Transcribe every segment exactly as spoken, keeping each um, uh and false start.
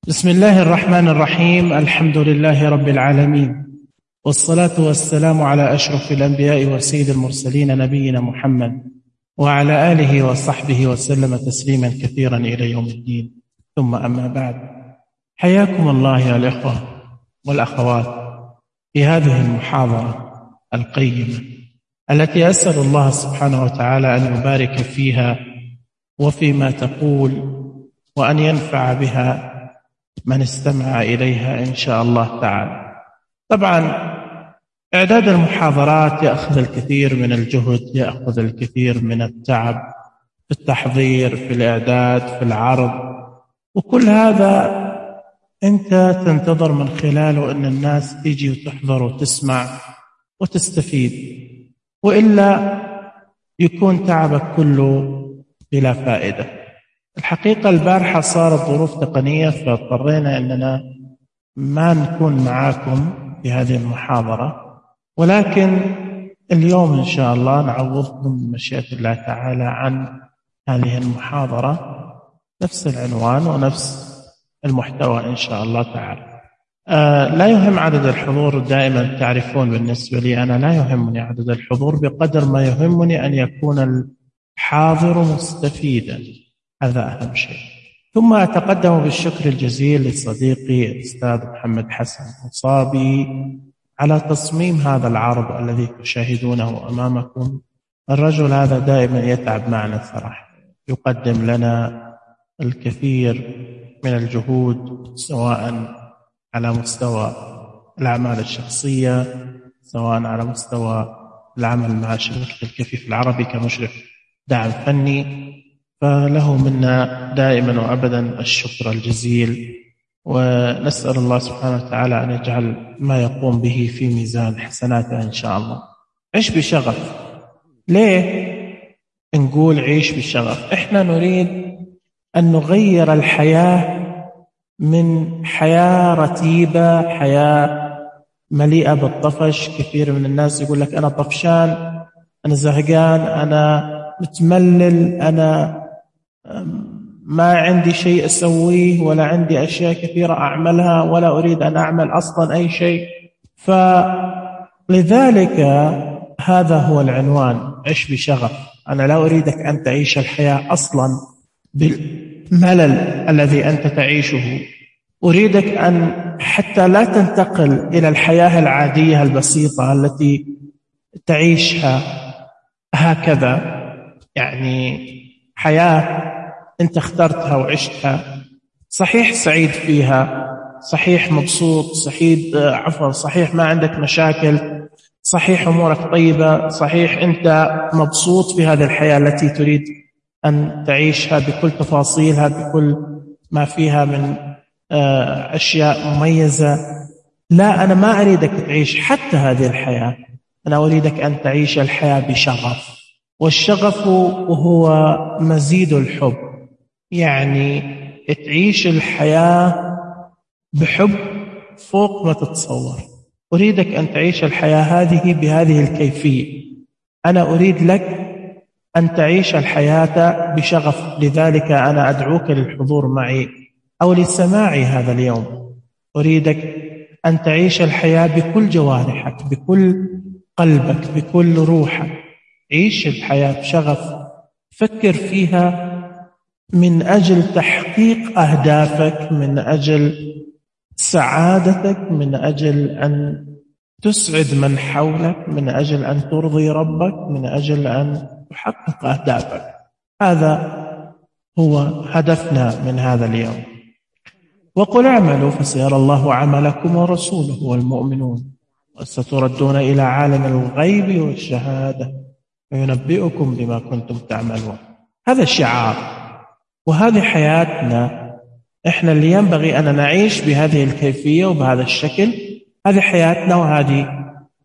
بسم الله الرحمن الرحيم. الحمد لله رب العالمين، والصلاة والسلام على أشرف الأنبياء وسيد المرسلين نبينا محمد وعلى آله وصحبه وسلم تسليما كثيرا إلى يوم الدين. ثم أما بعد، حياكم الله يا الإخوة والأخوات في هذه المحاضرة القيمة التي أسأل الله سبحانه وتعالى أن يبارك فيها وفيما تقول، وأن ينفع بها من استمع إليها إن شاء الله تعالى. طبعا إعداد المحاضرات يأخذ الكثير من الجهد، يأخذ الكثير من التعب في التحضير، في الإعداد، في العرض، وكل هذا أنت تنتظر من خلاله أن الناس تيجي وتحضر وتسمع وتستفيد، وإلا يكون تعبك كله بلا فائدة. الحقيقة البارحة صارت ظروف تقنية فاضطرينا أننا ما نكون معاكم في هذه المحاضرة، ولكن اليوم إن شاء الله نعوضكم بمشيئة الله تعالى عن هذه المحاضرة، نفس العنوان ونفس المحتوى إن شاء الله تعالى. آه لا يهم عدد الحضور، دائما تعرفون بالنسبة لي أنا لا يهمني عدد الحضور بقدر ما يهمني أن يكون الحاضر مستفيدا، هذا أهم شيء. ثم أتقدم بالشكر الجزيل لصديقي الأستاذ محمد حسن مصابي على تصميم هذا العرض الذي تشاهدونه أمامكم. الرجل هذا دائما يتعب معنا صراحة، يقدم لنا الكثير من الجهود، سواء على مستوى الأعمال الشخصية، سواء على مستوى العمل مع شبكة الكفيف العربي كمشرف دعم فني، فله منا دائما وأبدا الشكر الجزيل، ونسأل الله سبحانه وتعالى أن يجعل ما يقوم به في ميزان حسناته إن شاء الله. عيش بشغف. ليه نقول عيش بشغف؟ إحنا نريد أن نغير الحياة من حياة رتيبة، حياة مليئة بالطفش. كثير من الناس يقول لك أنا طفشان، أنا زهقان، أنا متملل، أنا ما عندي شيء أسويه، ولا عندي أشياء كثيرة أعملها، ولا أريد أن أعمل أصلا أي شيء. فلذلك هذا هو العنوان، عش بشغف. أنا لا أريدك أن تعيش الحياة أصلا بالملل الذي أنت تعيشه، أريدك أن حتى لا تنتقل إلى الحياة العادية البسيطة التي تعيشها هكذا، يعني حياة أنت اخترتها وعشتها، صحيح سعيد فيها، صحيح مبسوط، صحيح عفوا صحيح ما عندك مشاكل، صحيح أمورك طيبة، صحيح أنت مبسوط في هذه الحياة التي تريد أن تعيشها بكل تفاصيلها، بكل ما فيها من أشياء مميزة. لا، أنا ما أريدك تعيش حتى هذه الحياة، أنا أريدك أن تعيش الحياة بشغف. والشغف هو مزيد الحب، يعني تعيش الحياة بحب فوق ما تتصور. أريدك أن تعيش الحياة هذه بهذه الكيفية. أنا أريد لك أن تعيش الحياة بشغف، لذلك أنا أدعوك للحضور معي أو لسماع هذا اليوم. أريدك أن تعيش الحياة بكل جوارحك، بكل قلبك، بكل روحك. عيش الحياة بشغف، فكر فيها من أجل تحقيق أهدافك، من أجل سعادتك، من أجل أن تسعد من حولك، من أجل أن ترضي ربك، من أجل أن تحقق أهدافك. هذا هو هدفنا من هذا اليوم. وقل اعملوا فسيرى الله عملكم ورسوله والمؤمنون وستردون إلى عالم الغيب والشهادة وينبئكم بما كنتم تعملون. هذا الشعار وهذه حياتنا. إحنا اللي ينبغي أن نعيش بهذه الكيفية وبهذا الشكل. هذه حياتنا، وهذه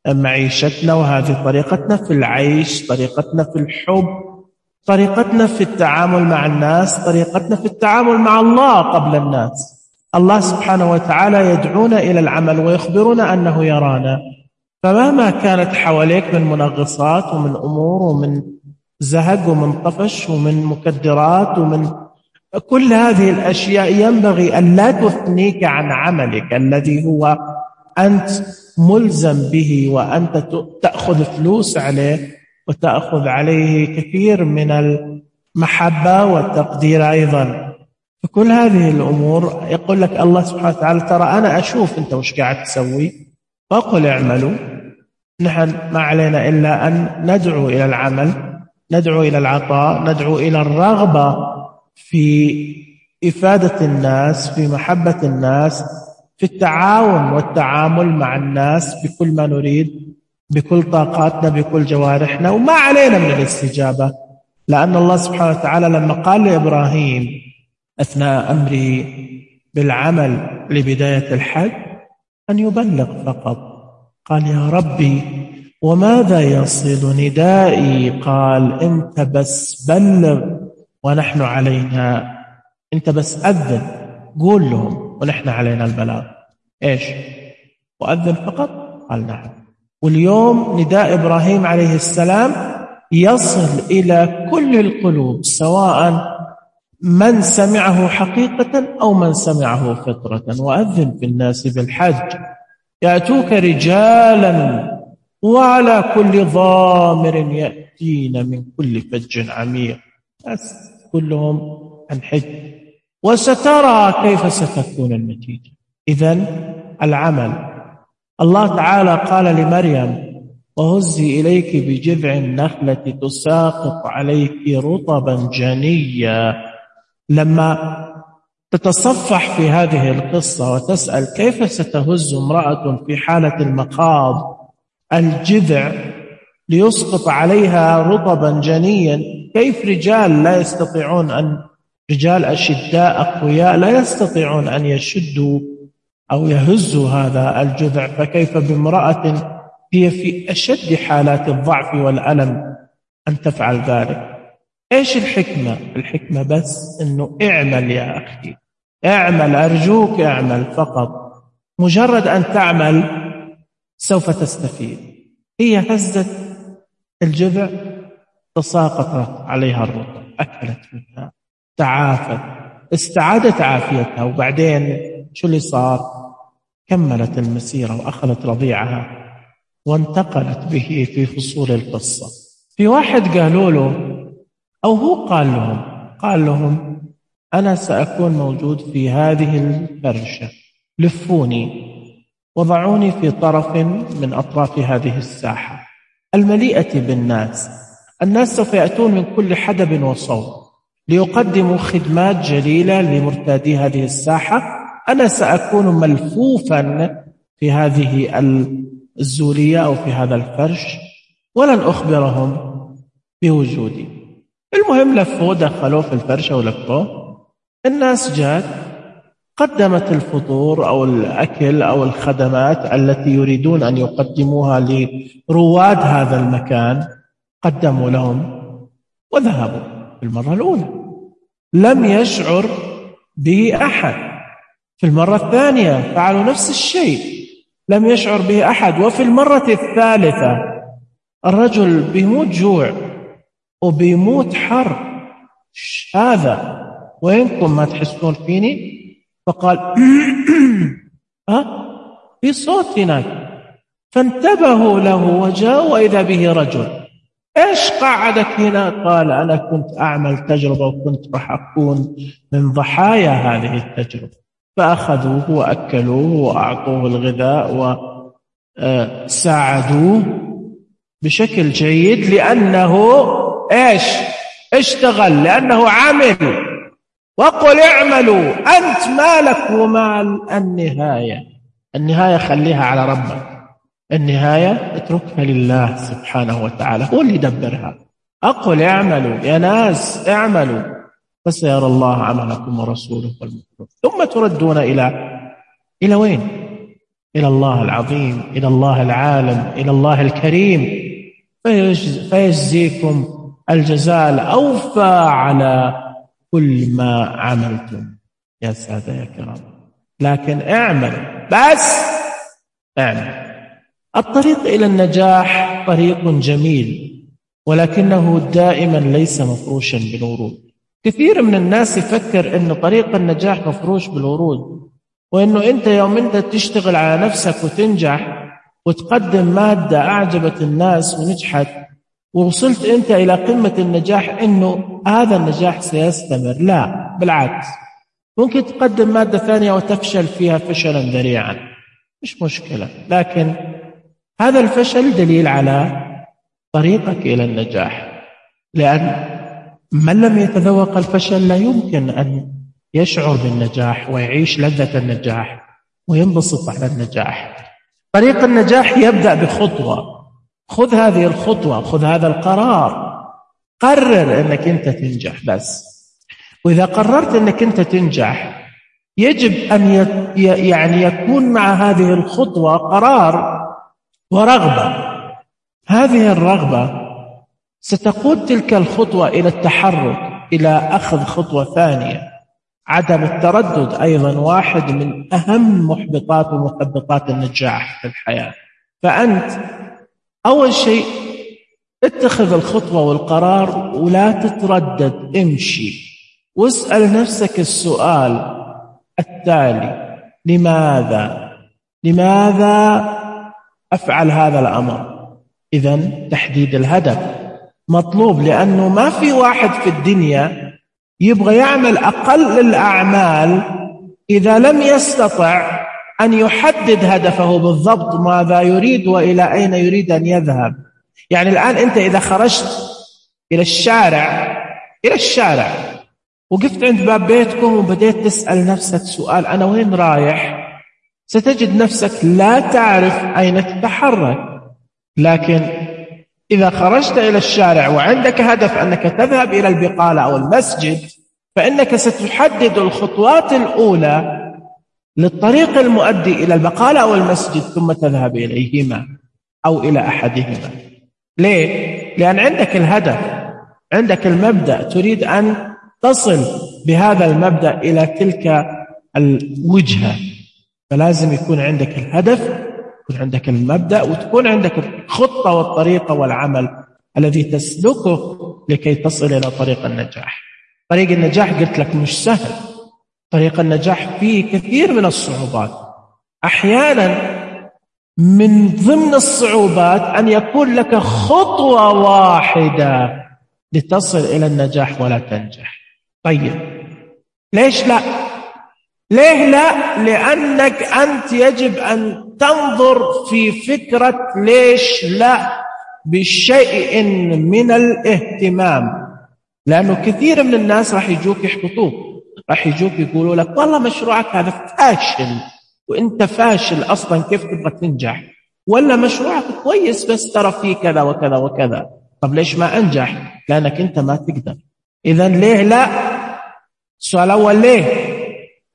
معيشتنا، وهذه طريقتنا في العيش، طريقتنا في الحب، طريقتنا في التعامل مع الناس، طريقتنا في التعامل مع الله قبل الناس. الله سبحانه وتعالى يدعونا إلى العمل ويخبرنا أنه يرانا، فمهما كانت حواليك من منغصات ومن أمور ومن زهق ومن طفش ومن مكدرات ومن كل هذه الأشياء ينبغي أن لا تثنيك عن عملك الذي هو أنت ملزم به، وأنت تأخذ فلوس عليه وتأخذ عليه كثير من المحبة والتقدير أيضا. فكل هذه الأمور يقول لك الله سبحانه وتعالى ترى أنا أشوف أنت وش قاعد تسوي، فأقول اعملوا، نحن ما علينا إلا أن ندعو إلى العمل، ندعو إلى العطاء، ندعو إلى الرغبة في إفادة الناس، في محبة الناس، في التعاون والتعامل مع الناس بكل ما نريد، بكل طاقاتنا، بكل جوارحنا، وما علينا من الاستجابة. لأن الله سبحانه وتعالى لما قال لإبراهيم أثناء أمره بالعمل لبداية الحج أن يبلغ فقط، قال يا ربي وماذا يصل ندائي؟ قال أنت بس بلغ ونحن علينا، أنت بس أذن، قول لهم ونحن علينا البلاغ. إيش؟ وأذن فقط؟ قال نعم. واليوم نداء إبراهيم عليه السلام يصل إلى كل القلوب، سواء من سمعه حقيقة أو من سمعه فطرة. وأذن في الناس بالحج يأتوك رجالا وعلى كل ضامر يأتين من كل فج عميق، بس كلهم عن حج، وسترى كيف ستكون النتيجة. إذن العمل. الله تعالى قال لمريم وهزي إليك بجذع النخلة تساقط عليك رطبا جنيا. لما تتصفح في هذه القصة وتسأل كيف ستهز امرأة في حالة المخاض الجذع ليسقط عليها رطبا جنيا، كيف رجال لا يستطيعون أن رجال أشداء أقوياء لا يستطيعون أن يشدوا أو يهزوا هذا الجذع، فكيف بامرأة هي في أشد حالات الضعف والألم أن تفعل ذلك؟ إيش الحكمة؟ الحكمة بس أنه اعمل يا أخي، اعمل، أرجوك اعمل فقط. مجرد أن تعمل سوف تستفيد. هي هزت الجذع تساقط عليها الرطب، أكلت منها، تعافت، استعادت عافيتها، وبعدين شو اللي صار؟ كملت المسيرة وأخذت رضيعها وانتقلت به في فصول القصة. في واحد قالوا له، أو هو قال لهم قال لهم أنا سأكون موجود في هذه الفرشة، لفوني وضعوني في طرف من أطراف هذه الساحة المليئة بالناس. الناس سوف يأتون من كل حدب وصوب ليقدموا خدمات جليلة لمرتادي هذه الساحة. أنا سأكون ملفوفا في هذه الزولية أو في هذا الفرش ولن أخبرهم بوجودي. المهم لفوه، دخلوه في الفرشة ولفوه. الناس جات قدمت الفطور أو الأكل أو الخدمات التي يريدون أن يقدموها لرواد هذا المكان، قدموا لهم وذهبوا. في المرة الأولى لم يشعر به أحد، في المرة الثانية فعلوا نفس الشيء، لم يشعر به أحد، وفي المرة الثالثة الرجل بيموت جوع وبيموت حر، هذا وينكم ما تحسون فيني؟ فقال ها في صوت هناك، فانتبهوا له وجاءوا وإذا به رجل. إيش قعدك هنا؟ قال أنا كنت أعمل تجربة وكنت راح أكون من ضحايا هذه التجربة. فأخذوه وأكلوه وأعطوه الغذاء وساعدوه بشكل جيد، لأنه إيش اشتغل، لأنه عمل. وقل اعملوا أنت مالك ومال النهاية. النهاية خليها على ربك، النهاية اتركها لله سبحانه وتعالى، هو اللي يدبرها. أقول اعملوا يا ناس اعملوا فسيرى الله عملكم ورسوله والمؤمنون ثم تردون إلى إلى وين؟ إلى الله العظيم، إلى الله العالم، إلى الله الكريم، فيجزيكم الجزاء الأوفى على كل ما عملتم. يا سادة يا كرام، لكن اعمل، بس اعمل. الطريق إلى النجاح طريق جميل، ولكنه دائما ليس مفروشا بالورود. كثير من الناس يفكر إنه طريق النجاح مفروش بالورود، وإنه أنت يوم أنت تشتغل على نفسك وتنجح وتقدم مادة أعجبت الناس ونجحت ووصلت أنت إلى قمة النجاح إنه هذا النجاح سيستمر. لا، بالعكس، ممكن تقدم مادة ثانية وتفشل فيها فشلا ذريعا، مش مشكلة، لكن هذا الفشل دليل على طريقك إلى النجاح، لأن من لم يتذوق الفشل لا يمكن أن يشعر بالنجاح ويعيش لذة النجاح وينبسط على النجاح. طريق النجاح يبدأ بخطوة. خذ هذه الخطوة، خذ هذا القرار، قرر أنك أنت تنجح بس. وإذا قررت أنك أنت تنجح يجب أن يعني يكون مع هذه الخطوة قرار ورغبة. هذه الرغبة ستقود تلك الخطوة إلى التحرك، إلى أخذ خطوة ثانية. عدم التردد أيضا واحد من أهم محبطات ومثبطات النجاح في الحياة. فأنت أول شيء اتخذ الخطوة والقرار ولا تتردد، امشي واسأل نفسك السؤال التالي: لماذا؟ لماذا أفعل هذا الأمر؟ إذن تحديد الهدف مطلوب، لأنه ما في واحد في الدنيا يبغى يعمل أقل الأعمال إذا لم يستطع أن يحدد هدفه بالضبط ماذا يريد وإلى أين يريد أن يذهب. يعني الآن أنت إذا خرجت إلى الشارع إلى الشارع وقفت عند باب بيتكم وبديت تسأل نفسك سؤال: أنا وين رايح؟ ستجد نفسك لا تعرف أين تتحرك. لكن إذا خرجت إلى الشارع وعندك هدف أنك تذهب إلى البقالة أو المسجد، فإنك ستحدد الخطوات الأولى للطريق المؤدي إلى البقالة أو المسجد ثم تذهب إليهما أو إلى أحدهما. ليه؟ لأن عندك الهدف، عندك المبدأ، تريد أن تصل بهذا المبدأ إلى تلك الوجهة، فلازم يكون عندك الهدف، يكون عندك المبدأ، وتكون عندك الخطة والطريقة والعمل الذي تسلكه لكي تصل إلى طريق النجاح. طريق النجاح قلت لك مش سهل، طريق النجاح فيه كثير من الصعوبات. أحيانا من ضمن الصعوبات أن يكون لك خطوة واحدة لتصل إلى النجاح ولا تنجح. طيب ليش لا؟ ليه لا؟ لأنك أنت يجب أن تنظر في فكرة ليش لا بشيء من الاهتمام. لأنه كثير من الناس راح يجوك يحبطوك، راح يجوك يقولوا لك والله مشروعك هذا فاشل وانت فاشل أصلا، كيف تبغى تنجح؟ ولا مشروعك كويس بس ترى فيه كذا وكذا وكذا. طب ليش ما أنجح؟ لأنك انت ما تقدر. إذن ليه لا؟ السؤال الأول ليه،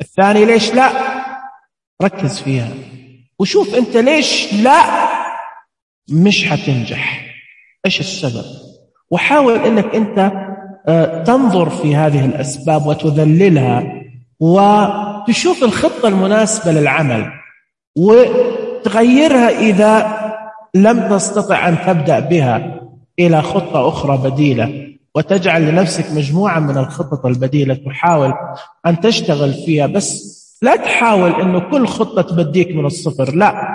الثاني ليش لا. ركز فيها وشوف انت ليش لا مش حتنجح، ايش السبب، وحاول انك انت تنظر في هذه الأسباب وتذللها وتشوف الخطة المناسبة للعمل وتغيرها إذا لم تستطع أن تبدأ بها إلى خطة أخرى بديلة، وتجعل لنفسك مجموعة من الخطط البديلة تحاول أن تشتغل فيها. بس لا تحاول أنه كل خطة تبديك من الصفر، لا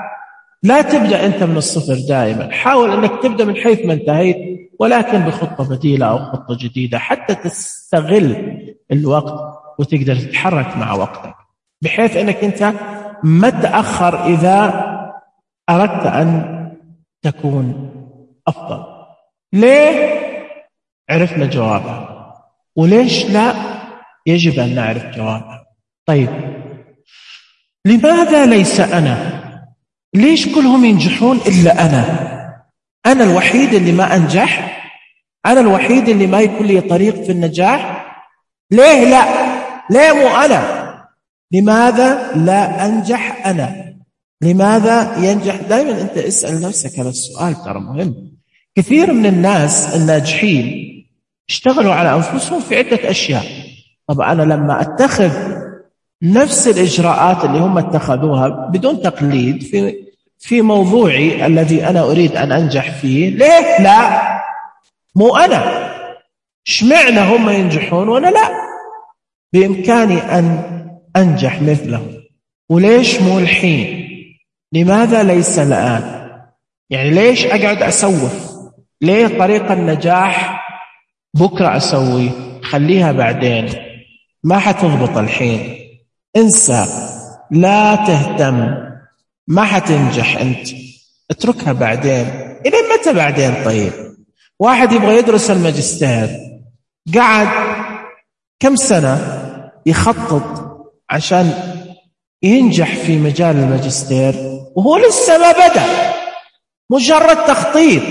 لا تبدأ أنت من الصفر دائما، حاول أنك تبدأ من حيث ما انتهيت ولكن بخطة بديلة أو خطة جديدة حتى تستغل الوقت وتقدر تتحرك مع وقتك، بحيث أنك أنت ما تأخر إذا أردت أن تكون أفضل. ليه؟ عرفنا جوابها، وليش لا؟ يجب أن نعرف جوابها. طيب لماذا ليس أنا؟ ليش كلهم ينجحون إلا أنا؟ أنا الوحيد اللي ما أنجح؟ أنا الوحيد اللي ما يكون لي طريق في النجاح؟ ليه لا؟ ليه مو أنا؟ لماذا لا أنجح أنا؟ لماذا ينجح؟ دائما أنت اسأل نفسك هذا السؤال، ترى مهم. كثير من الناس الناجحين اشتغلوا على أنفسهم في عدة أشياء. طب أنا لما أتخذ نفس الإجراءات اللي هم اتخذوها بدون تقليد في في موضوعي الذي أنا أريد أن أنجح فيه، ليه لا؟ مو أنا. اشمعنى هم ينجحون وأنا لا؟ بإمكاني أن أنجح مثلهم، وليش مو الحين؟ لماذا ليس الآن؟ يعني ليش أقعد أسوف؟ ليه طريق النجاح بكرة أسوي؟ خليها بعدين، ما حتضبط الحين، انسى، لا تهتم، ما حتنجح أنت، اتركها بعدين. إلى متى بعدين؟ طيب واحد يبغى يدرس الماجستير، قعد كم سنة يخطط عشان ينجح في مجال الماجستير وهو لسه ما بدأ، مجرد تخطيط،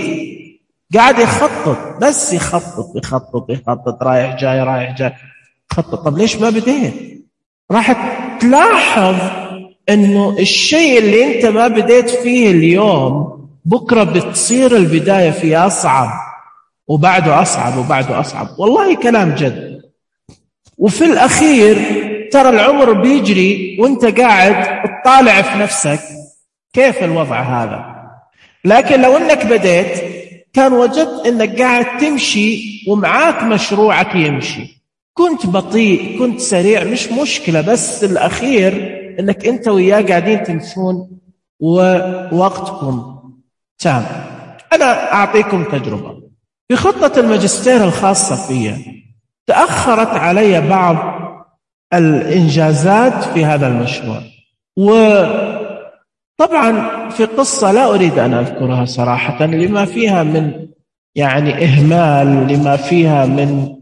قاعد يخطط بس يخطط يخطط يخطط رايح جاي رايح جاي خطط. طب ليش ما بديت؟ راح تلاحظ انه الشيء اللي انت ما بديت فيه اليوم بكرة بتصير البداية فيه أصعب وبعده أصعب وبعده أصعب. والله كلام جد. وفي الأخير ترى العمر بيجري وانت قاعد تطالع في نفسك كيف الوضع هذا. لكن لو انك بديت كان وجدت انك قاعد تمشي ومعاك مشروعك يمشي، كنت بطيء كنت سريع مش مشكلة، بس الأخير انك انت وياه قاعدين تمشون ووقتكم تام. أنا أعطيكم تجربة في خطة الماجستير الخاصة فيها. تأخرت علي بعض الإنجازات في هذا المشروع، وطبعا في قصة لا أريد أن أذكرها صراحة لما فيها من يعني إهمال، لما فيها من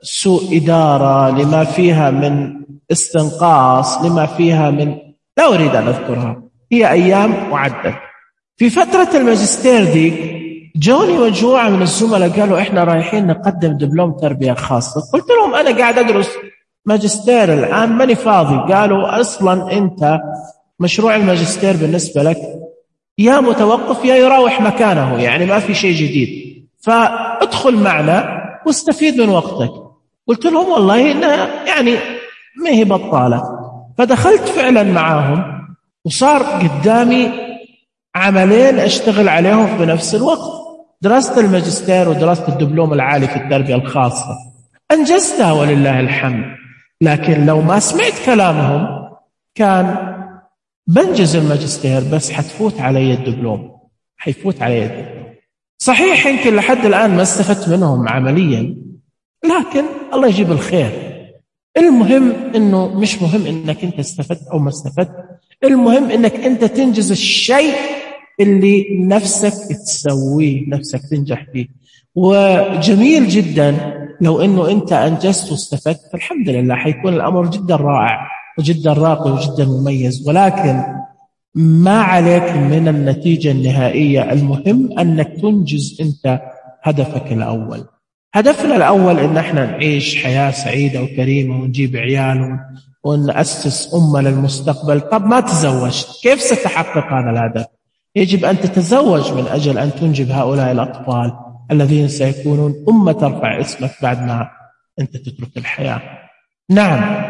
سوء إدارة، لما فيها من استنقاص، لما فيها من لا أريد أن أذكرها، هي أيام وعدت. في فترة الماجستير دي جوني مجموعة من الزملاء قالوا إحنا رايحين نقدم دبلوم تربية خاصة. قلت لهم أنا قاعد أدرس ماجستير الآن ماني فاضي. قالوا أصلا أنت مشروع الماجستير بالنسبة لك يا متوقف يا يراوح مكانه، يعني ما في شيء جديد، فادخل معنا واستفيد من وقتك. قلت لهم والله إنها يعني ما هي بطالة. فدخلت فعلا معاهم وصار قدامي عملين أشتغل عليهم في نفس الوقت، دراسة الماجستير ودراسة الدبلوم العالي في التربية الخاصة. أنجزتها ولله الحمد. لكن لو ما سمعت كلامهم كان بنجز الماجستير بس حتفوت علي الدبلوم، حيفوت علي الدبلوم. صحيح يمكن لحد الآن ما استفدت منهم عمليا، لكن الله يجيب الخير. المهم إنه مش مهم إنك أنت استفدت أو ما استفدت، المهم إنك أنت تنجز الشيء اللي نفسك تسويه، نفسك تنجح فيه. وجميل جدا لو إنه أنت أنجزت واستفدت، فالحمد لله حيكون الأمر جدا رائع وجدا راقي وجدا مميز. ولكن ما عليك من النتيجة النهائية، المهم أنك تنجز أنت هدفك الأول. هدفنا الأول إن احنا نعيش حياة سعيدة وكريمة ونجيب عيال ونأسس أمة للمستقبل. طب ما تزوجت، كيف ستحقق هذا الهدف؟ يجب أن تتزوج من أجل أن تنجب هؤلاء الأطفال الذين سيكونون أمة ترفع اسمك بعد ما أنت تترك الحياة. نعم،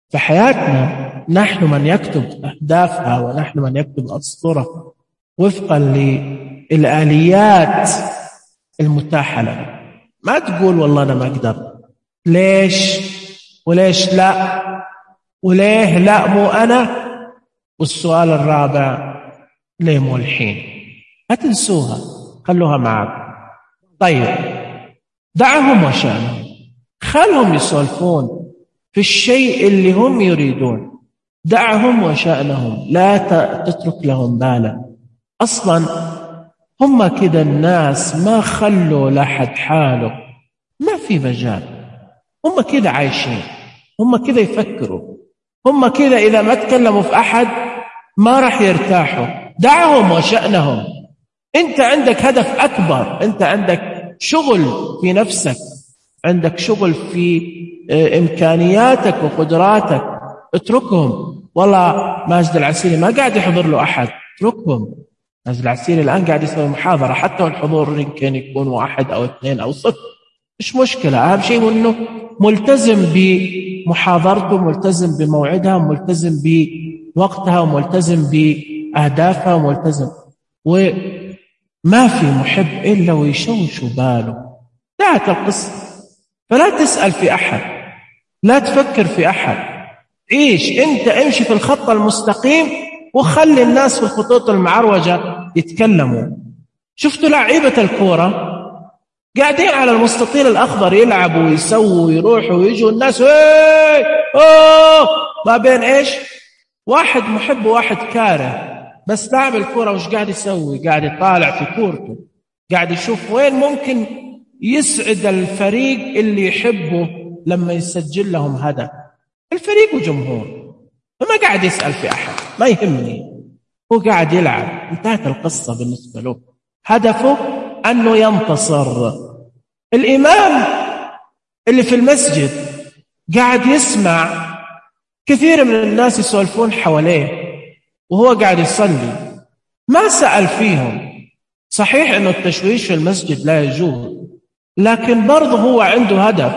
فحياتنا نحن من يكتب أهدافها ونحن من يكتب أسطرة وفقا للآليات المتاحة لنا. ما تقول والله أنا ما أقدر، ليش وليش لا وليه لا مو أنا. والسؤال الرابع ليه مو الحين. هتنسوها، خلوها معك. طيب دعهم وشأنهم، خلهم يسولفون في الشيء اللي هم يريدون، دعهم وشأنهم، لا تترك لهم بالا. أصلا هم كده الناس ما خلوا لحد حاله، ما في مجال، هم كده عايشين، هم كده يفكروا، هم كده إذا ما تكلموا في أحد ما راح يرتاحوا. دعهم وشأنهم. أنت عندك هدف أكبر، أنت عندك شغل في نفسك، عندك شغل في إمكانياتك وقدراتك، اتركهم. والله ماجد العسيري ما قاعد يحضر له أحد، اتركهم. ماجد العسيري الآن قاعد يسوي محاضرة، حتى الحضور يمكن يكون واحد أو اثنين أو صفر، مش مشكلة. أهم شيء أنه ملتزم بمحاضرته، ملتزم بموعدها، ملتزم بوقتها، وملتزم بأهدافها، وملتزم. وما في محب إلا ويشوش باله. انتهت القصة. فلا تسأل في أحد، لا تفكر في أحد، عيش أنت، امشي في الخط المستقيم وخلي الناس في الخطوط المعروجة يتكلموا. شفتوا لعيبة الكورة قاعدين على المستطيل الأخضر يلعبوا ويسووا ويروحوا ويجوا الناس ايه اوه ما بين ايش؟ واحد محب وواحد كاره. بس لاعب الكورة وش قاعد يسوي؟ قاعد يطالع في كورته، قاعد يشوف وين ممكن يسعد الفريق اللي يحبه لما يسجل لهم هدف. الفريق وجمهور، فما قاعد يسأل في أحد، ما يهمني، هو قاعد يلعب. انتهت القصة بالنسبة له، هدفه أنه ينتصر. الإمام اللي في المسجد قاعد يسمع كثير من الناس يسولفون حواليه وهو قاعد يصلي، ما سأل فيهم. صحيح أنه التشويش في المسجد لا يجوز، لكن برضه هو عنده هدف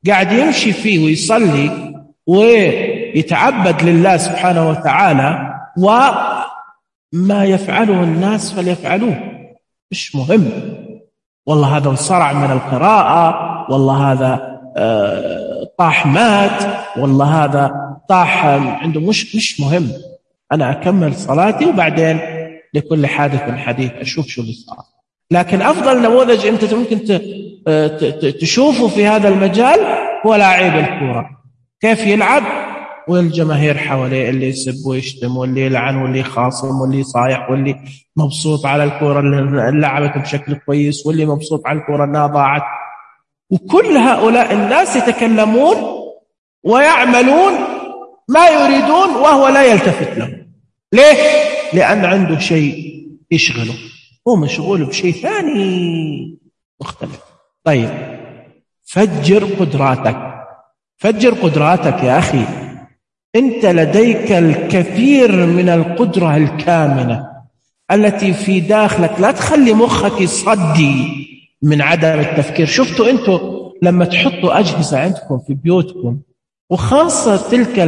قاعد يمشي فيه ويصلي ويتعبد لله سبحانه وتعالى، وما يفعله الناس فليفعلوه، مش مهم. والله هذا انصرع من القراءة، والله هذا طاح مات، والله هذا طاح عنده، مش مش مهم. أنا أكمل صلاتي وبعدين لكل حادث حديث أشوف شو اللي صار. لكن أفضل نموذج أنت ممكن تشوفه في هذا المجال هو لاعب الكورة، كيف يلعب والجماهير حواليه، اللي يسب ويشتم واللي يلعن واللي يخاصم واللي يصايح واللي مبسوط على الكورة اللي لعبت بشكل كويس واللي مبسوط على الكورة انها ضاعت. وكل هؤلاء الناس يتكلمون ويعملون ما يريدون وهو لا يلتفت لهم. ليه؟ لأن عنده شيء يشغله، هو مشغول بشيء ثاني مختلف. طيب، فجر قدراتك، فجر قدراتك يا أخي. أنت لديك الكثير من القدرة الكامنة التي في داخلك، لا تخلي مخك يصدي من عدم التفكير. شفتوا أنتوا لما تحطوا أجهزة عندكم في بيوتكم، وخاصة تلك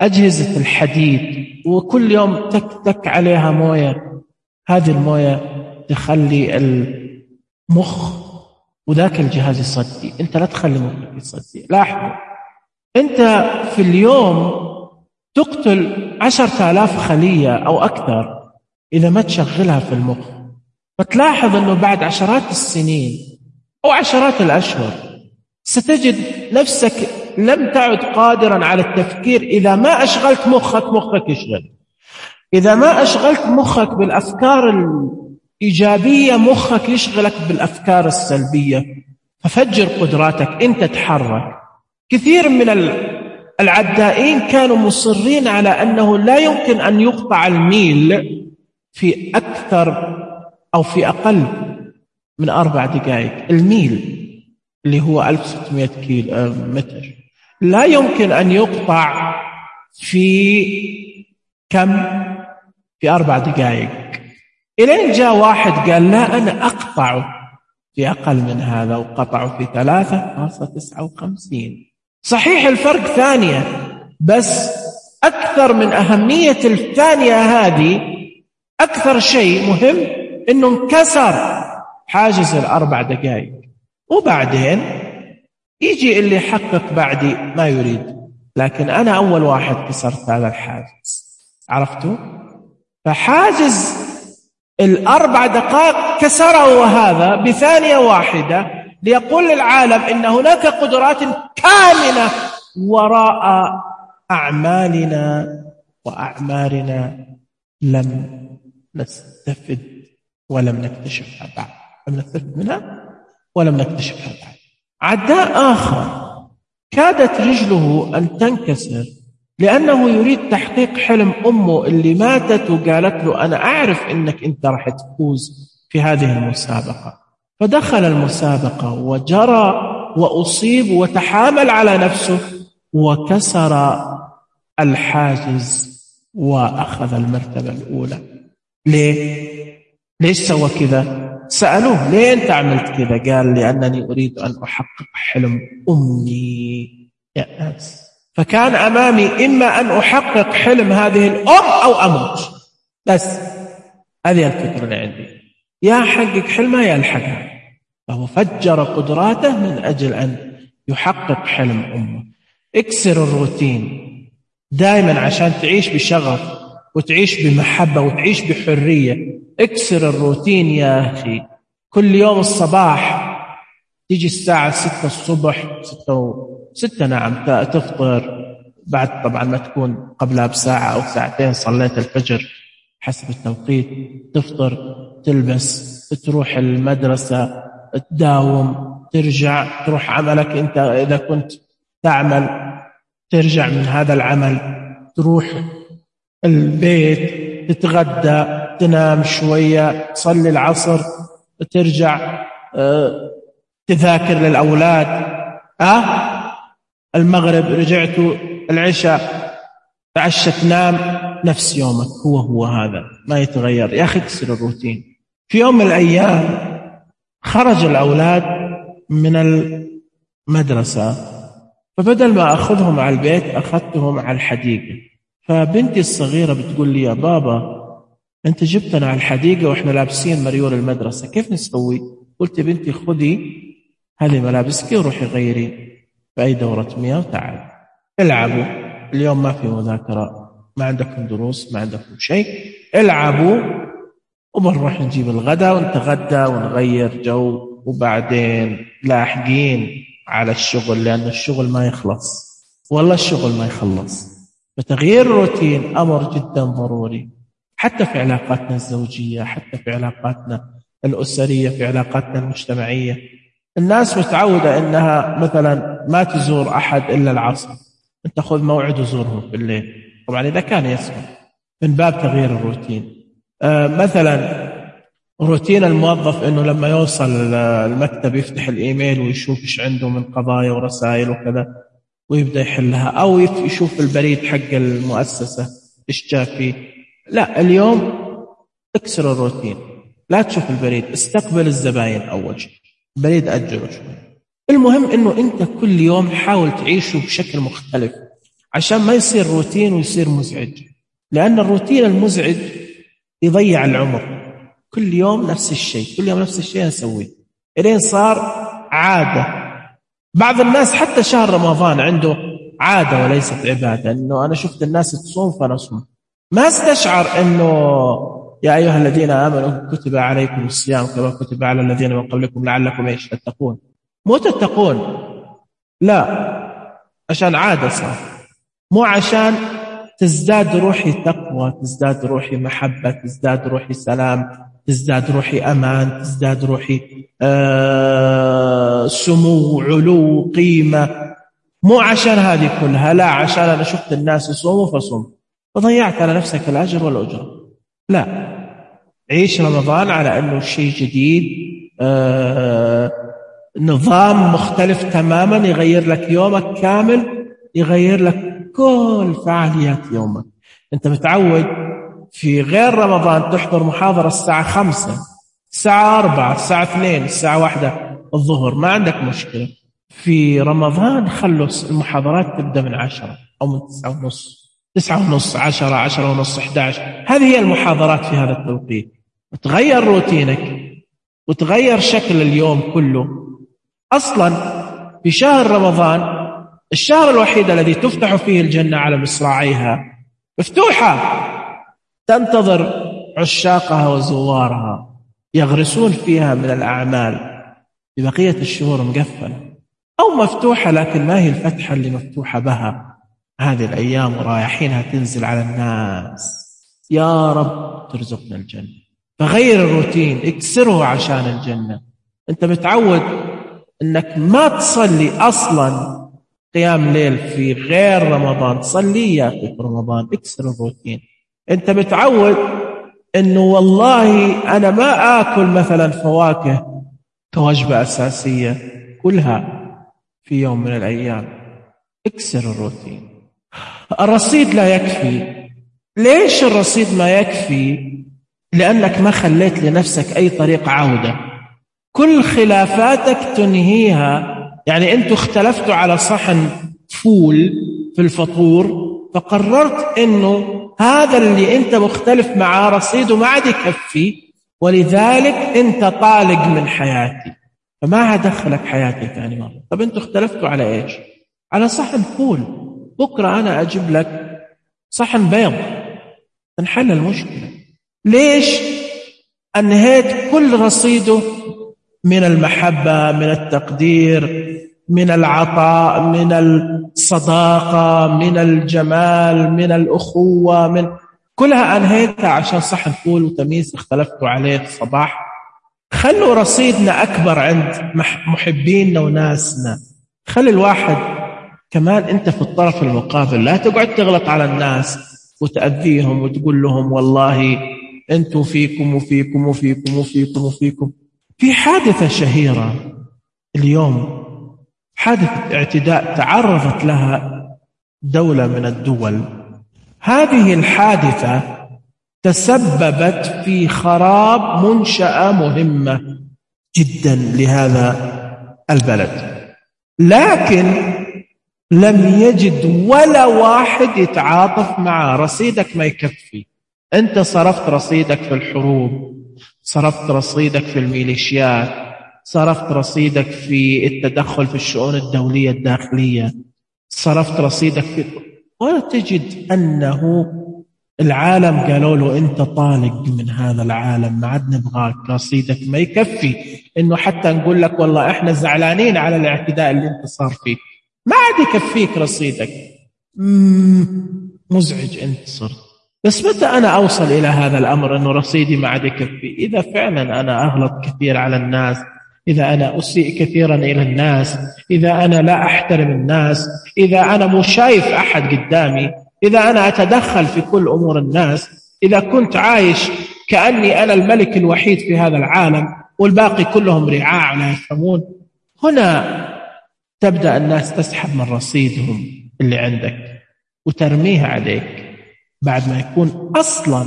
أجهزة الحديد، وكل يوم تك تك عليها موية، هذه الموية تخلي المخ وذاك الجهاز يصدي. أنت لا تخلي مخك يصدي. لاحظوا، أنت في اليوم تقتل عشرة آلاف خلية أو أكثر إذا ما تشغلها في المخ. فتلاحظ أنه بعد عشرات السنين أو عشرات الأشهر ستجد نفسك لم تعد قادرا على التفكير إذا ما أشغلت مخك. مخك يشغل. إذا ما أشغلت مخك بالأفكار الإيجابية، مخك يشغلك بالأفكار السلبية. ففجر قدراتك، أنت تحرك. كثير من العدائين كانوا مصرين على أنه لا يمكن أن يقطع الميل في أكثر أو في أقل من أربع دقائق. الميل اللي هو ألف وستمائة كيلو متر لا يمكن أن يقطع في كم؟ في أربع دقائق. إلين جاء واحد قال لا، أنا أقطعه في أقل من هذا، وقطعه في ثلاثة فاصلة تسعة وخمسين. صحيح الفرق ثانية، بس أكثر من أهمية الثانية هذه، أكثر شيء مهم إنه انكسر حاجز الأربع دقائق. وبعدين يجي اللي يحقق بعدي ما يريد، لكن أنا أول واحد كسرت هذا الحاجز. عرفتوا؟ فحاجز الأربع دقائق كسره هذا بثانية واحدة، ليقول للعالم إن هناك قدرات كامنة وراء أعمالنا وأعمارنا لم نستفد ولم نكتشفها بعد، لم نستفد منها ولم نكتشفها بعد. عداء آخر كادت رجله أن تنكسر لأنه يريد تحقيق حلم أمه اللي ماتت، وقالت له أنا أعرف أنك أنت راح تفوز في هذه المسابقة. فدخل المسابقة وجرى وأصيب وتحامل على نفسه وكسر الحاجز وأخذ المرتبة الأولى. ليه؟ ليش سوى كذا؟ سألوه ليه أنت عملت كذا؟ قال لأنني أريد أن أحقق حلم أمي يا ناس. فكان أمامي إما أن أحقق حلم هذه الأم أو أموت، بس هذه الفكرة اللي عندي. يا حقق حلمها يا الحقها. فهو فجر قدراته من أجل أن يحقق حلم أمه. اكسر الروتين دائما عشان تعيش بشغف وتعيش بمحبة وتعيش بحرية. اكسر الروتين يا أخي. كل يوم الصباح تيجي الساعة ستة الصبح، ستة, و... ستة نعم تفطر، بعد طبعا ما تكون قبلها بساعة أو ساعتين صليت الفجر حسب التوقيت، تفطر، تلبس، تروح المدرسة، تداوم، ترجع تروح عملك. أنت إذا كنت تعمل ترجع من هذا العمل، تروح البيت، تتغدى، تنام شوية، تصلي العصر، ترجع أه تذاكر للأولاد، أه المغرب رجعتوا، العشاء تعشى، تنام، نفس يومك هو هو هذا ما يتغير. يا أخي اكسر الروتين. في يوم من الأيام خرج الأولاد من المدرسة، فبدل ما أخذهم على البيت أخذتهم على الحديقة. فبنتي الصغيرة بتقول لي: يا بابا أنت جبتنا على الحديقة وإحنا لابسين مريول المدرسة، كيف نسوي؟ قلت: بنتي خذي هذه ملابسك وروحي غيري في أي دورة مياه وتعالي العبوا. اليوم ما في مذاكرة، ما عندكم دروس، ما عندكم شيء، العبوا وبنروح نجيب الغداء ونتغدى ونغير جو، وبعدين لاحقين على الشغل، لأن الشغل ما يخلص، والله الشغل ما يخلص. فتغيير الروتين أمر جدا ضروري، حتى في علاقاتنا الزوجية، حتى في علاقاتنا الأسرية، في علاقاتنا المجتمعية. الناس متعودة إنها مثلا ما تزور أحد إلا العصر، أنت خذ موعد وزورهم في الليل، طبعا إذا كان يسمح، من باب تغيير الروتين. آه مثلا روتين الموظف إنه لما يوصل المكتب يفتح الإيميل ويشوف إيش عنده من قضايا ورسائل وكذا ويبدأ يحلها، أو يشوف البريد حق المؤسسة إيش جاء فيه. لا، اليوم اكسر الروتين، لا تشوف البريد، استقبل الزباين أول شيء، البريد أجله شوي. المهم إنه أنت كل يوم حاول تعيشه بشكل مختلف عشان ما يصير روتين ويصير مزعج، لأن الروتين المزعج يضيع العمر. كل يوم نفس الشيء، كل يوم نفس الشيء نسويه إلين صار عادة. بعض الناس حتى شهر رمضان عنده عادة وليست عبادة، إنه أنا شفت الناس تصوم فنصوم، ما استشعر إنه يا أيها الذين آمنوا كتب عليكم الصيام كما كتب على الذين من قبلكم لعلكم إيش تتقون. مو تتقون، لا، عشان عادة صار، مو عشان تزداد روحي تقوى، تزداد روحي محبة، تزداد روحي سلام، تزداد روحي أمان، تزداد روحي آه سمو، علو، قيمة. مو عشان هذه كلها، لا، عشان أنا شفت الناس يصوموا فصوم وضيعت على نفسك الأجر والأجرة. لا، عيش رمضان على أنه شيء جديد، آه نظام مختلف تماما، يغير لك يومك كامل، يغير لك كل فعاليات يومك. أنت متعود في غير رمضان تحضر محاضرة الساعة خمسة، الساعة أربعة، الساعة اثنين، الساعة واحدة الظهر، ما عندك مشكلة. في رمضان خلص المحاضرات تبدأ من عشرة أو من تسعة ونص، تسعة ونص، عشرة، عشرة ونص، إحدى عشر. هذه هي المحاضرات في هذا التوقيت. وتغير روتينك وتغير شكل اليوم كله. أصلا في شهر رمضان الشهر الوحيد الذي تفتح فيه الجنة على مصراعيها، مفتوحة، تنتظر عشاقها وزوارها يغرسون فيها من الأعمال. ببقية الشهور مقفلة أو مفتوحة، لكن ما هي الفتحة اللي مفتوحة بها هذه الأيام، ورايحينها تنزل على الناس. يا رب ترزقنا الجنة. فغير الروتين، اكسره عشان الجنة. أنت متعود أنك ما تصلي أصلا قيام ليل في غير رمضان، صلي في رمضان، اكسر الروتين. أنت متعود أنه والله أنا ما آكل مثلا فواكه كوجبة أساسية، كلها في يوم من الأيام. اكسر الروتين. الرصيد لا يكفي. ليش الرصيد ما يكفي؟ لأنك ما خليت لنفسك أي طريق عودة. كل خلافاتك تنهيها. يعني أنتوا اختلفتوا على صحن فول في الفطور، فقررت أنه هذا اللي أنت مختلف معاه رصيده ما عاد يكفي، ولذلك أنت طالق من حياتي. فما هدخلك حياتي ثاني مرة. طب أنتوا اختلفتوا على إيش؟ على صحن فول، بكرة أنا أجيب لك صحن بيض، تنحل المشكلة. ليش أنهيت كل رصيده من المحبة، من التقدير، من العطاء، من الصداقة، من الجمال، من الأخوة، من كلها أنهيتها عشان صحن فول وتميس اختلفتوا عليه الصباح؟ خلوا رصيدنا أكبر عند محبيننا وناسنا. خلي الواحد كمان أنت في الطرف المقابل، لا تقعد تغلط على الناس وتأذيهم وتقول لهم والله أنتوا فيكم وفيكم وفيكم وفيكم وفيكم. في حادثة شهيرة اليوم، حادثة اعتداء تعرضت لها دولة من الدول. هذه الحادثة تسببت في خراب منشأة مهمة جدا لهذا البلد، لكن لم يجد ولا واحد يتعاطف معه. رصيدك ما يكفي، أنت صرفت رصيدك في الحروب، صرفت رصيدك في الميليشيات، صرفت رصيدك في التدخل في الشؤون الدولية الداخلية، صرفت رصيدك في، ولا تجد أنه العالم قالوا له أنت طالق من هذا العالم، ما عاد نبغاك، رصيدك ما يكفي إنه حتى نقول لك والله إحنا زعلانين على الاعتداء اللي أنت صار فيه، ما عاد يكفيك رصيدك. مزعج أنت صرت. بس متى أنا أوصل إلى هذا الأمر أنه رصيدي ما عاد يكفي؟ إذا فعلا أنا أغلط كثير على الناس، إذا أنا أسيء كثيرا إلى الناس، إذا أنا لا أحترم الناس، إذا أنا مو شايف أحد قدامي، إذا أنا أتدخل في كل أمور الناس، إذا كنت عايش كأني أنا الملك الوحيد في هذا العالم والباقي كلهم رعاع لا يفهمون، هنا تبدأ الناس تسحب من رصيدهم اللي عندك وترميها عليك بعد ما يكون أصلا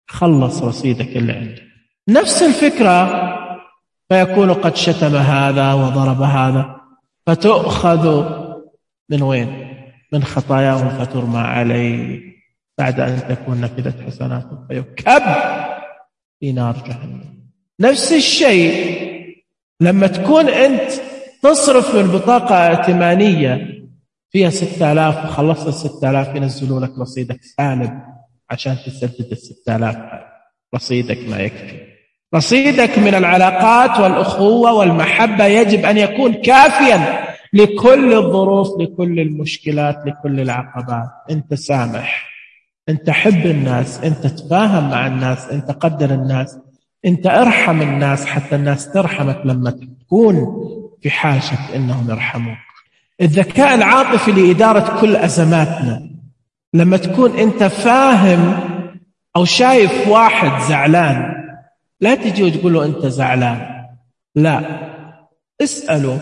خلص رصيدك اللي عندك. نفس الفكرة، فيكون قد شتم هذا وضرب هذا، فتؤخذ من وين؟ من خطاياهم فترمى عليه بعد أن تكون نفذت حسناتهم فيكب في نار جهنم. نفس الشيء لما تكون أنت تصرف من بطاقة ائتمانية فيها ستة آلاف وخلصت الستة آلاف، ينزلوا لك رصيدك سالب عشان تسدد الستة آلاف. رصيدك ما يكفي. رصيدك من العلاقات والأخوة والمحبة يجب أن يكون كافيا لكل الظروف، لكل المشكلات، لكل العقبات. أنت سامح، أنت حب الناس، أنت تفاهم مع الناس، أنت قدر الناس، أنت ارحم الناس حتى الناس ترحمك لما تكون في حاجة أنهم يرحموك. الذكاء العاطفي لإدارة كل أزماتنا، لما تكون أنت فاهم أو شايف واحد زعلان، لا تجي وتقول له أنت زعلان، لا، اسأله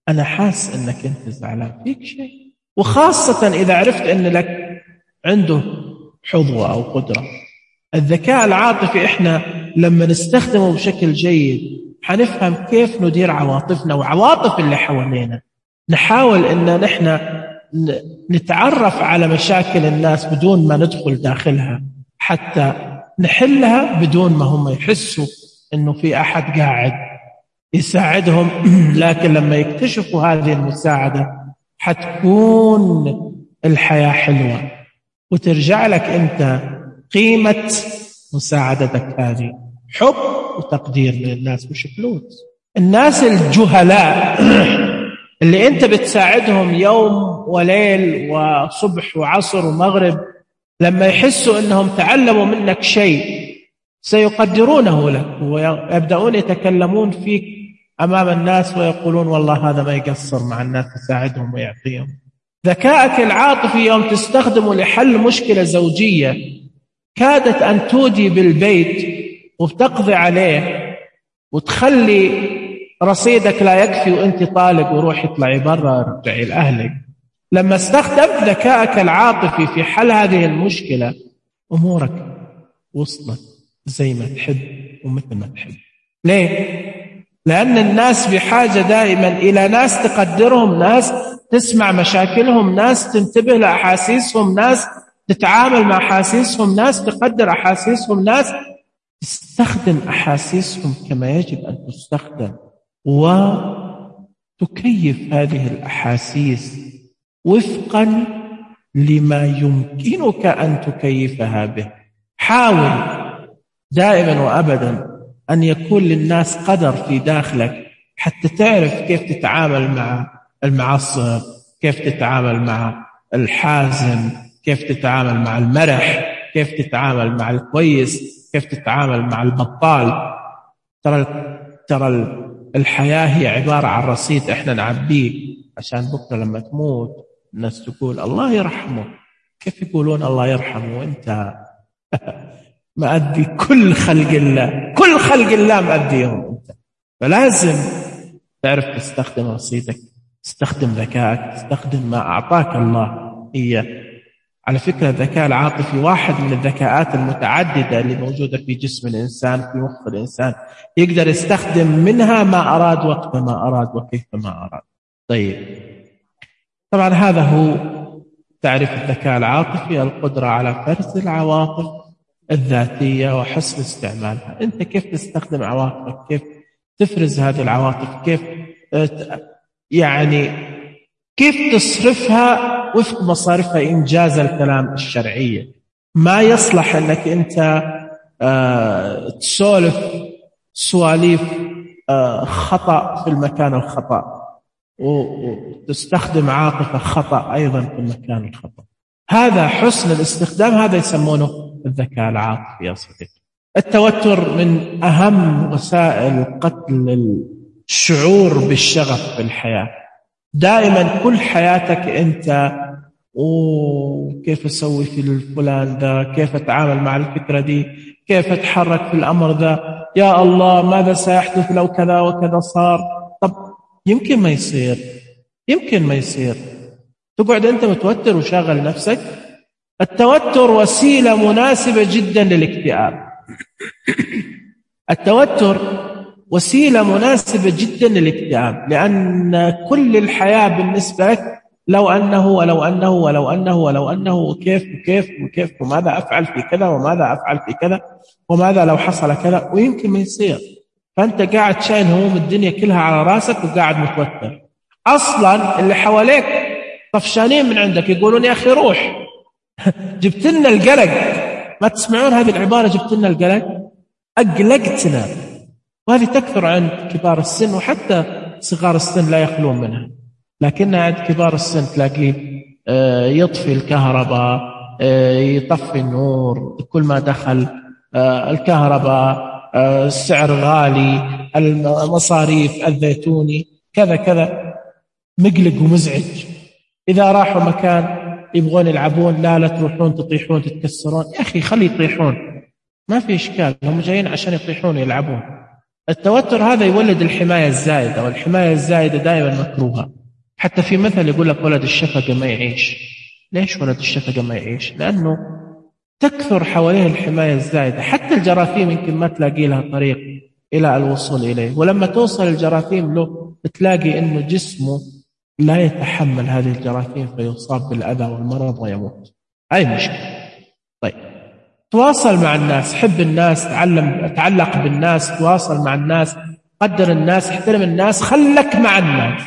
أنا حاس أنك أنت زعلان، فيك شيء؟ وخاصة إذا عرفت أن لك عنده حظوة أو قدرة. الذكاء العاطفي إحنا لما نستخدمه بشكل جيد حنفهم كيف ندير عواطفنا وعواطف اللي حوالينا. نحاول أن نحن نتعرف على مشاكل الناس بدون ما ندخل داخلها، حتى نحلها بدون ما هم يحسوا أنه في أحد قاعد يساعدهم. لكن لما يكتشفوا هذه المساعدة حتكون الحياة حلوة وترجع لك أنت قيمة مساعدتك هذه، حب وتقدير من الناس مش فلوس. الناس الجهلاء اللي أنت بتساعدهم يوم وليل وصبح وعصر ومغرب، لما يحسوا أنهم تعلموا منك شيء سيقدرونه لك ويبدأون يتكلمون فيك أمام الناس ويقولون والله هذا ما يقصر مع الناس، يساعدهم ويعطيهم. ذكائك العاطفي يوم تستخدمه لحل مشكلة زوجية كادت أن تودي بالبيت وبتقضي عليه وتخلي رصيدك لا يكفي وانت طالق وروح اطلعي برا ارجعي لأهلك. لما استخدمت ذكائك العاطفي في حل هذه المشكلة أمورك وصلت زي ما تحب ومثل ما تحب. ليه؟ لأن الناس بحاجة دائما إلى ناس تقدرهم، ناس تسمع مشاكلهم، ناس تنتبه لأحاسيسهم، ناس تتعامل مع أحاسيسهم، ناس تقدر أحاسيسهم، ناس تستخدم أحاسيسهم كما يجب أن تستخدم. وتكيف هذه الأحاسيس وفقا لما يمكنك أن تكيفها به. حاول دائما وأبدا أن يكون للناس قدر في داخلك حتى تعرف كيف تتعامل مع المعصب، كيف تتعامل مع الحازم، كيف تتعامل مع المرح، كيف تتعامل مع الكويس، كيف تتعامل مع البطال. ترى ترى الحياة هي عبارة عن رصيد احنا نعبيه عشان بكرة لما تموت الناس تقول الله يرحمه. كيف يقولون الله يرحمه وانت مأدي كل خلق الله، كل خلق الله مأديهم انت؟ فلازم تعرف تستخدم رصيدك، تستخدم ذكائك، تستخدم ما أعطاك الله إياه. على فكرة الذكاء العاطفي واحد من الذكاءات المتعددة اللي موجودة في جسم الإنسان، في مخ الإنسان، يقدر يستخدم منها ما أراد وقت ما أراد وكيف ما أراد. طيب، طبعا هذا هو تعريف الذكاء العاطفي: القدرة على فرز العواطف الذاتية وحسن استعمالها. أنت كيف تستخدم عواطفك، كيف تفرز هذه العواطف، كيف يعني كيف تصرفها وفق مصارفها إنجاز الكلام الشرعية. ما يصلح أنك أنت آه تسولف سواليف آه خطأ في المكان الخطأ، وتستخدم عاطفة خطأ أيضا في المكان الخطأ. هذا حسن الاستخدام، هذا يسمونه الذكاء العاطفي يا صديقي. التوتر من أهم وسائل قتل الشعور بالشغف في الحياة. دائما كل حياتك أنت وكيف أسوي في الفلان ذا، كيف أتعامل مع الفكرة دي، كيف أتحرك في الأمر ذا، يا الله ماذا سيحدث لو كذا وكذا صار. طب يمكن ما يصير، يمكن ما يصير. تقعد أنت متوتر وشاغل نفسك. التوتر وسيلة مناسبة جدا للاكتئاب. التوتر وسيلة مناسبة جدا للاكتئاب، لأن كل الحياة بالنسبة لك لو أنه ولو أنه ولو أنه ولو أنه وكيف وكيف وكيف وماذا أفعل في كذا وماذا أفعل في كذا وماذا لو حصل كذا، ويمكن ما يصير. فأنت قاعد شايل هموم الدنيا كلها على راسك وقاعد متوتر. أصلا اللي حواليك طفشانين من عندك، يقولون يا أخي روح جبت لنا القلق. ما تسمعون هذه العبارة؟ جبت لنا القلق، أقلقتنا. وهذه تكثر عند كبار السن، وحتى صغار السن لا يخلون منها. لكن عند كبار السن تلاقيه يطفي الكهرباء، يطفي النور كل ما دخل الكهرباء، السعر غالي، المصاريف، الزيتوني كذا كذا، مقلق ومزعج. إذا راحوا مكان يبغون يلعبون، لا لا تروحون تطيحون تتكسرون. يا أخي خلي يطيحون، ما في إشكال، هم جايين عشان يطيحون يلعبون. التوتر هذا يولد الحماية الزائدة، والحماية الزائدة دائما مكروهة. حتى في مثل يقول لك ولد الشفقة ما يعيش. ليش ولد الشفقة ما يعيش؟ لأنه تكثر حواليه الحماية الزائدة. حتى الجراثيم يمكن ما تلاقي لها طريق إلى الوصول إليه، ولما توصل الجراثيم له تلاقي أنه جسمه لا يتحمل هذه الجراثيم فيصاب بالأذى والمرض ويموت. أي مشكلة. طيب، تواصل مع الناس، حب الناس، تعلم تعلق بالناس، تواصل مع الناس، قدر الناس، احترم الناس، خلك مع الناس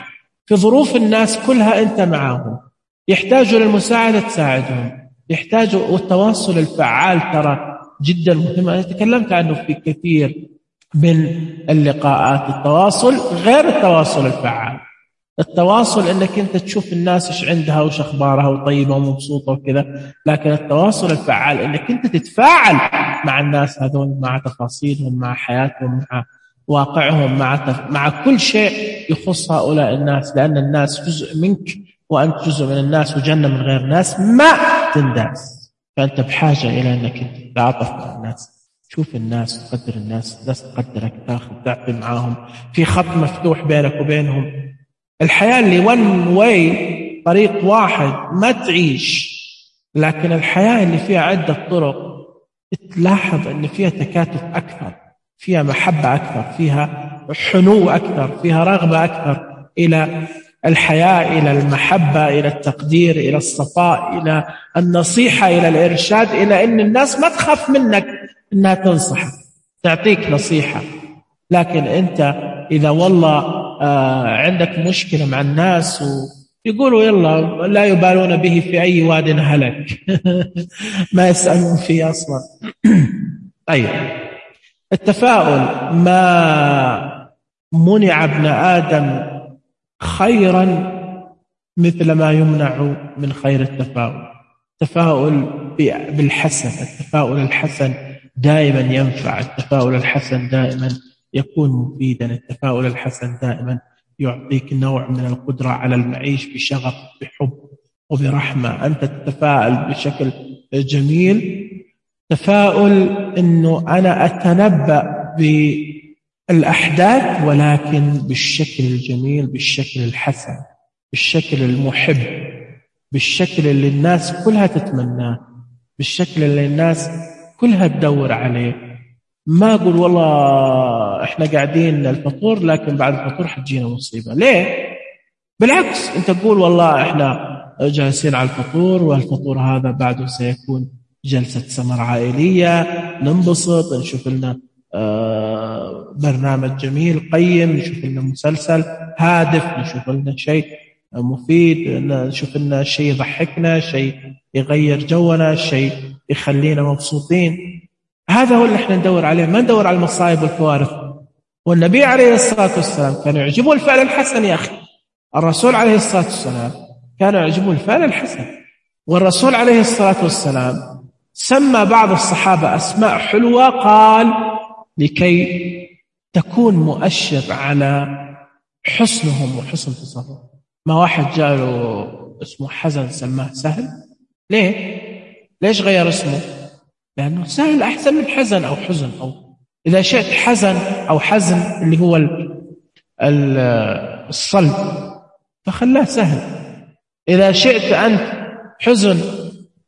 في ظروف الناس كلها أنت معهم. يحتاجوا للمساعدة تساعدهم، يحتاجوا. والتواصل الفعال ترى جدا مهم، أنا تكلمت عنه في كثير من اللقاءات. التواصل غير التواصل الفعال. التواصل انك انت تشوف الناس ايش عندها وش اخبارها وطيبه ومبسوطه وكذا، لكن التواصل الفعال انك انت تتفاعل مع الناس هذول، مع تفاصيلهم، مع حياتهم، مع واقعهم، مع تف... مع كل شيء يخص هؤلاء الناس، لان الناس جزء منك وانت جزء من الناس، وجنه من غير ناس ما تنداس. فانت بحاجه الى انك انت تتعاطف مع الناس، تشوف الناس، تقدر الناس، الناس تقدرك، تاخذ تعطي معاهم، في خط مفتوح بينك وبينهم. الحياة اللي one way، طريق واحد، ما تعيش. لكن الحياة اللي فيها عدة طرق تلاحظ أن فيها تكاتف أكثر، فيها محبة أكثر، فيها حنو أكثر، فيها رغبة أكثر إلى الحياة، إلى المحبة، إلى التقدير، إلى الصفاء، إلى النصيحة، إلى الإرشاد، إلى أن الناس ما تخاف منك أنها تنصحك، تعطيك نصيحة. لكن أنت إذا والله آه عندك مشكلة مع الناس ويقولوا يلا لا يبالون به في أي واد هلك ما يسألون فيه أصلا. طيب، التفاؤل ما منع ابن آدم خيرا مثل ما يمنع من خير التفاؤل. التفاؤل بالحسن، التفاؤل الحسن دائما ينفع، التفاؤل الحسن دائما يكون مفيدا، التفاؤل الحسن دائما يعطيك نوع من القدرة على المعيش بشغف بحب وبرحمة. أنت تتفاءل بشكل جميل، تفاؤل أنه أنا أتنبأ بالأحداث ولكن بالشكل الجميل، بالشكل الحسن، بالشكل المحب، بالشكل اللي الناس كلها تتمناه، بالشكل اللي الناس كلها تدور عليه. ما أقول والله إحنا قاعدين الفطور لكن بعد الفطور حتجينا مصيبة، ليه؟ بالعكس، أنت تقول والله إحنا جالسين على الفطور والفطور هذا بعده سيكون جلسة سمر عائلية، ننبسط، نشوف لنا برنامج جميل قيم، نشوف لنا مسلسل هادف، نشوف لنا شيء مفيد، نشوف لنا شيء يضحكنا، شيء يغير جونا، شيء يخلينا مبسوطين. هذا هو اللي احنا ندور عليه، ما ندور على المصائب والكوارث. والنبي عليه الصلاة والسلام كان يعجبه الفعل الحسن. يا أخي، الرسول عليه الصلاة والسلام كان يعجبه الفعل الحسن. والرسول عليه الصلاة والسلام سمى بعض الصحابة أسماء حلوة، قال لكي تكون مؤشر على حسنهم وحسن تصرفهم. ما واحد جاله اسمه حزن سماه سهل، ليه؟ ليش غير اسمه؟ لأنه سهل أحسن من حزن أو حزن، أو إذا شئت حزن أو حزن اللي هو الصلب فخلاه سهل. إذا شئت أنت حزن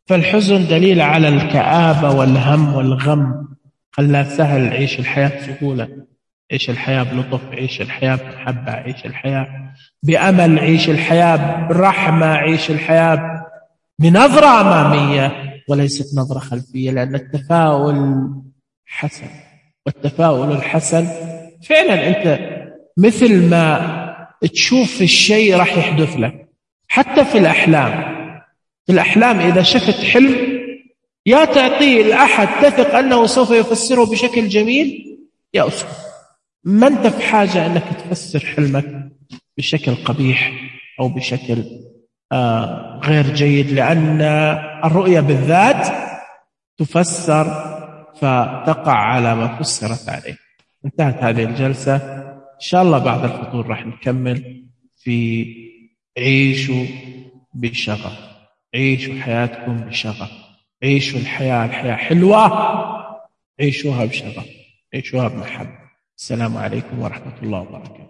فالحزن دليل على الكآبة والهم والغم، خلاه سهل. عيش الحياة سهولة، عيش الحياة بلطف، عيش الحياة بمحبة، عيش الحياة بأمل، عيش الحياة برحمة، عيش الحياة بنظرة أمامية وليست نظرة خلفية. لأن التفاؤل حسن، والتفاؤل الحسن فعلا أنت مثل ما تشوف الشيء راح يحدث لك. حتى في الأحلام، في الأحلام إذا شفت حلم يا تعطيه الأحد تثق أنه سوف يفسره بشكل جميل يا أسكت. ما أنت في حاجة أنك تفسر حلمك بشكل قبيح أو بشكل آه غير جيد، لأن الرؤية بالذات تفسر فتقع على ما فسرت عليه. انتهت هذه الجلسة، إن شاء الله بعد الفطور راح نكمل في عيشوا بشغف، عيشوا حياتكم بشغف، عيشوا الحياة، الحياة حلوة، عيشوها بشغف، عيشوها بمحبة. السلام عليكم ورحمة الله وبركاته.